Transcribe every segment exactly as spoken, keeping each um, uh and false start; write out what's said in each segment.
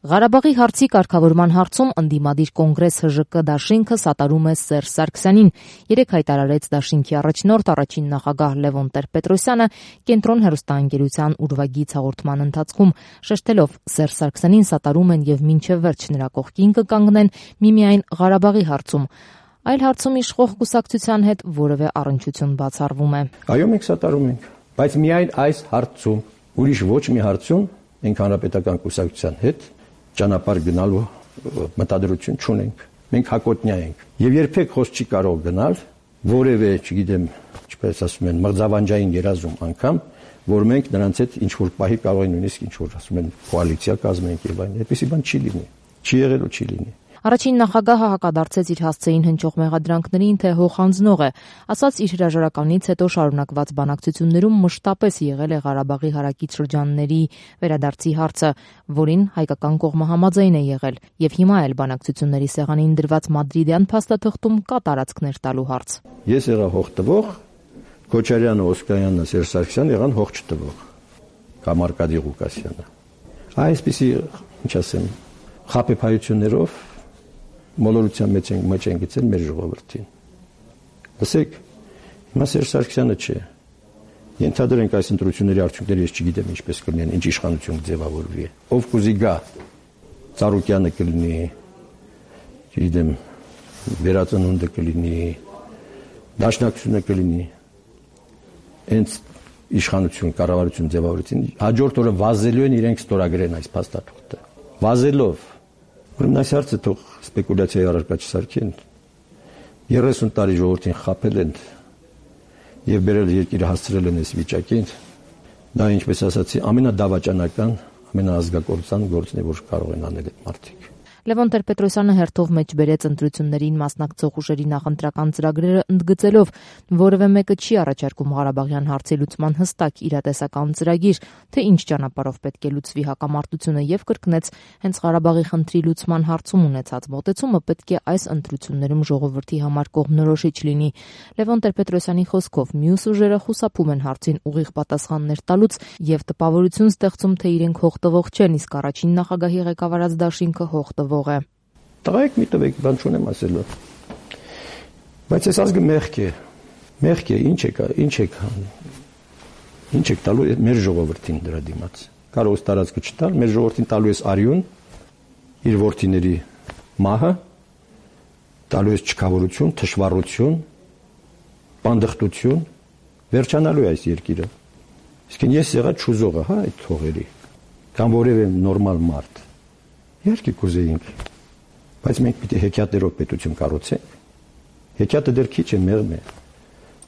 Ղարաբաղի հարցի կարգավորման հարցում ընդդիմադիր կոնգրես Հ Ժ Կ դաշինքը սատարում է Սերժ Սարգսյանին։ Երեկ հայտարարեց դաշինքի առաջնորդ առաջին նախագահ Լևոն Տեր-Պետրոսյանը կենտրոն հեռուստաընկերության ուրվագիծ հաղորդման ընթացքում, շեշտելով Սերժ Սարգսյանին սատարում են եւ մինչեւ վերջ նրա կողքին կկանգնեն միմիայն Ղարաբաղի հարցում։ Այլ հարցում իշխող կուսակցության հետ որևէ առնչություն բացառվում է։ Այո, մենք սատարում ենք, բայց միայն այս հարցում, ուրիշ ոչ մի հարցում մենք հանրապետական կուսակցության հետ ճանապարհ գնալու մտադրություն չունենք։ Մենք հակոտնյա ենք եւ երբեք խոսք չի կարող գնալ որևէ, չգիտեմ, ինչպես ասում են, մղձավանջային երազում անգամ, որ մենք նրանց հետ ինչ որ պահի կարող են նույնիսկ ինչ որ ասում են կոալիցիա կազմենք եւ այն, այդպեսի բան չի լինի։ Չի եղել ու չի լինի։ Առաջին նախագահը հակադարձեց իր հասցեին հնչող մեղադրանքներին, թե հոխանձնող է, ասաց իր հրաժարականից հետո շարունակված բանակցություններում մշտապես եղել է Ղարաբաղի հարակից շրջանների վերադարձի հարցը, որին հայկական կողմը համաձայն է եղել, եւ հիմա էլ բանակցությունների սեղանին դրված մադրիդյան փաստաթղթում կա տարածքներ տալու հարց։ Ես եղա հող տվող, Քոչարյանը, Օսկանյանը, Սերժ Սարգսյանը եղան հող չտվող, կամ Արկադի Ղուկասյանը։ Այսպիսի, ինչ ասեմ, խաբեբայություններով մոլորության մեջ են մեջ են գցել մեր ժողովրդին։ Լսեք, հիմա Սերժ Սարգսյանը չէ։ Ենթադրենք այս ընտրությունների արդյունքները ես չգիտեմ ինչպես կլինեն, ինչ իշխանություն կձևավորվի։ Ով կուզի գա, Ծառուկյանը կլինի, չգիտեմ, Վերածնունդը կլինի, Դաշնակցությունը կլինի։ Հենց իշխանություն, կառավարություն ձևավորեցին, հաջորդ օրը վազելու են իրենք ստորագրեն այս փաստաթղթը։ Վազելով Ուրեմն այս հարցը թող սպեկուլյացիայի առարկա չսարքեն։ երեսուն տարի ժողովրդին խաբել են եւ բերել երկիրը հասցրել են այս վիճակին։ Դա ինչպես ասացի, ամենադավաճանական, ամենաազգակործան գործն է, որ կարող են անել այդ մարդիկ։ Լևոն Տեր-Պետրոսյանը հերթով մեջ բերեց ընտրություններին մասնակցող ուժերի նախընտրական ծրագրերը, ընդգծելով, որևէ մեկը չի առաջարկում Ղարաբաղյան հարցի լուծման հստակ իրատեսական ծրագիր, թե ինչ ճանապարհով պետք է լուծվի հակամարտությունը, եւ կրկնեց, հենց Ղարաբաղի խնդրի լուծման հարցում ունեցած մոտեցումը պետք է այս ընտրություններում ժողովրդի համար կողմնորոշիչ լինի։ Լևոն Տեր-Պետրոսյանի խոսքով մյուս ուժերը խուսափում են հարցին ուղիղ պատասխաններ տալուց եւ տպավորություն ստեղծում, թե իրենք հող տվող չեն, իսկ առաջին նախագահի ղեկավարած դաշինքը հող տվող է։ Տղայք մի տվեք, բան չունեմ ասելու։ Բայց այս ազգը մեղք է։ Մեղք է, ինչ եք, ինչ եք ինչ եք տալու մեր ժողովրդին դրա դիմաց։ Կարող է տարածքը չտալ, մեր ժողովրդին տալու է արյուն, իր որդիների մահը, տալու է չքավորություն, թշվառություն, պանդխտություն, վերջանալու է այս երկիրը։ Իսկ ես եղա չուզողը, հա, այդ թողերի, կամ որևէ նորմալ մարդ։ Իհարկե կուզեինք, բայց մենք պիտի հեքիաթներով պետություն կառուցենք։ Հեքիաթը դեռ քիչ է, մեղմ է։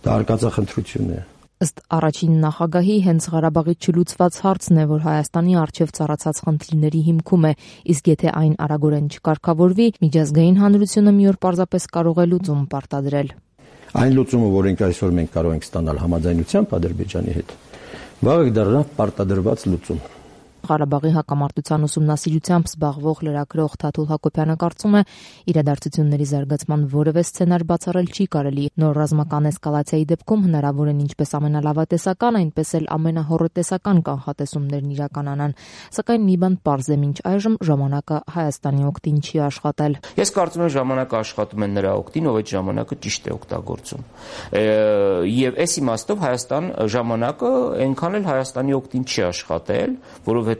Դա արկածախնդրություն է։ Ըստ առաջին նախագահի, հենց Ղարաբաղի չլուծված հարցն է, որ Հայաստանի առջև ծառացած խնդիրների հիմքում է, իսկ եթե այն արագորեն չկարգավորվի, միջազգային հանրությունը մի օր պարզապես կարող է լուծում պարտադրել։ Այն լուծումը, որոնք այսօր մենք կարող ենք ստանալ համաձայնությամբ Ադրբեջանի հետ, վաղը դառնա պարտադրված լուծում։ Ղարաբաղի հակամարտության ուսումնասիրությամբ զբաղվող լրագրող Թաթուլ Հակոբյանը կարծում է, իրադարձությունների զարգացման որևէ սցենար բացառել չի կարելի։ Նոր ռազմական էսկալացիայի դեպքում հնարավոր են ինչպես ամենալավատեսական, այնպես էլ ամենահոռետեսական կանխատեսումներն իրականանան։ Սակայն մի բան պարզ է, մինչ այժմ ժամանակը Հայաստանի օգտին չի աշխատել։ Ես կարծում եմ ժամանակը աշխատում է նրա օգտին, ով այդ ժամանակը ճիշտ է օգտագործում։ Եվ այս իմաստով Հայաստան ժամանակը այնքան էլ Հայաստանի օգտին չի աշխատել, որովհետև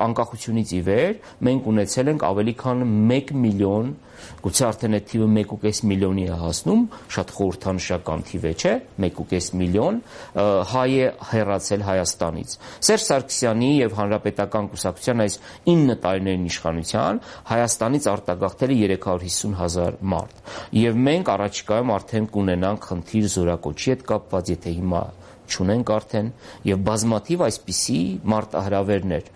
անկախությունից ի վեր մենք ունեցել ենք ավելի քան մեկ միլիոն, գուցե արդեն այդ թիվը մեկ ու կես միլիոնի է հասնում, շատ խորհրդանշական թիվ է, չէ՞, մեկ ու կես միլիոն հայ է հեռացել Հայաստանից։ Սերժ Սարգսյանի եւ Հանրապետական կուսակցության այս ինը տարիներին իշխանության Հայաստանից արտագաղթել է երեք հարյուր հիսուն հազար մարդ։ Եվ մենք առաջիկայում արդեն կունենանք խնդիր զորակոչի հետ կապված, եթե հիմա չունենք արդեն, եւ բազմաթիվ այսպիսի մարտահրավերներ։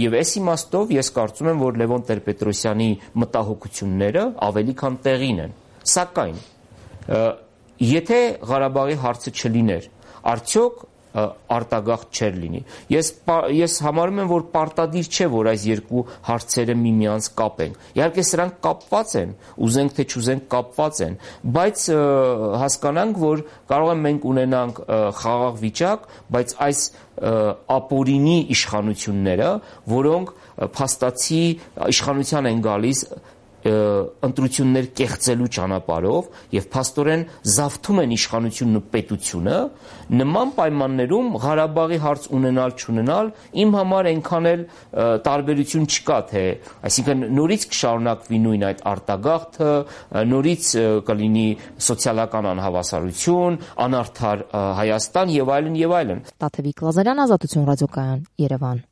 Եվ այս իմաստով ես կարծում եմ, որ Լևոն Տեր-Պետրոսյանի մտահոգությունները ավելի քան տեղին են։ Սակայն եթե Ղարաբաղի հարցը չլիներ, արդյոք արտագաղթ չեր լինի։ Ես ես համարում եմ, որ պարտադիր չէ, որ այս երկու հարցերը միմյանց կապեն։ Իհարկե սրանք կապված են, ուզենք թե չուզենք կապված են, բայց հասկանանք, որ կարող են մենք ունենանք խաղաղ վիճակ, բայց այս ապօրինի իշխանությունները, որոնք փաստացի իշխանության են գալիս ընտրություններ կեղծելու ճանապարհով եւ փաստորեն զավթում են իշխանությունն ու պետությունը, նման պայմաններում Ղարաբաղի հարց ունենալ չունենալ իմ համար այնքան էլ տարբերություն չկա, թե այսինքն նորից կշարունակվի նույն այդ արտագաղթը, նորից կլինի սոցիալական անհավասարություն, անարդար Հայաստան եւ այլն եւ այլն։ Տաթևիկ Լազարյան, Ազատություն ռադիոկայան, Երևան։